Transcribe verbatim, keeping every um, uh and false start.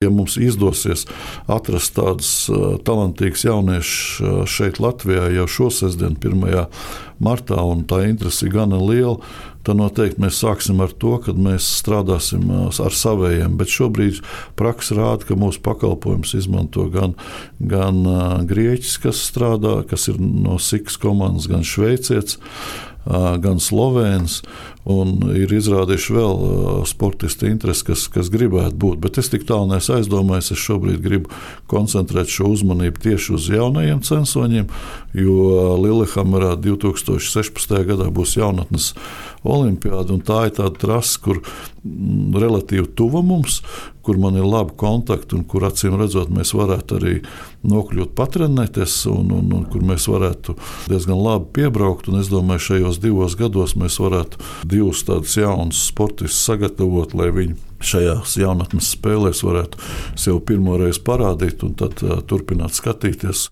Ja mums izdosies atrast tādus talantīgus jauniešus šeit Latvijā jau šo sestdienu, pirmajā martā, un tā interese ir gana liela, tad noteikti mēs sāksim ar to, kad mēs strādāsim ar savējiem. Bet šobrīd praksa rāda, ka mūsu pakalpojumus izmanto gan, gan grieķis, kas strādā, kas ir no Sikas komandas, gan šveicietis, gan slovēns, un ir izrādījuši vēl sportisti interesi, kas, kas gribētu būt. Bet es tik tālu neesmu aizdomājies, es šobrīd gribu koncentrēt šo uzmanību tieši uz jaunajiem censoņiem, jo Lillehammerā divi tūkstoši sešpadsmitajā gadā būs jaunatnes olimpiāda, un tā ir tāda trasa, kur relatīvi tuva mums, kur man ir labi kontakti un kur acīm redzot mēs varētu arī nokļūt patrenēties un, un, un kur mēs varētu diezgan labi piebraukt. Un es domāju, šajos divos gados mēs varētu divus tādus jaunus sportistus sagatavot, lai viņi šajās jaunatnes spēlēs varētu sev pirmo reizi parādīt un tad uh, turpināt skatīties.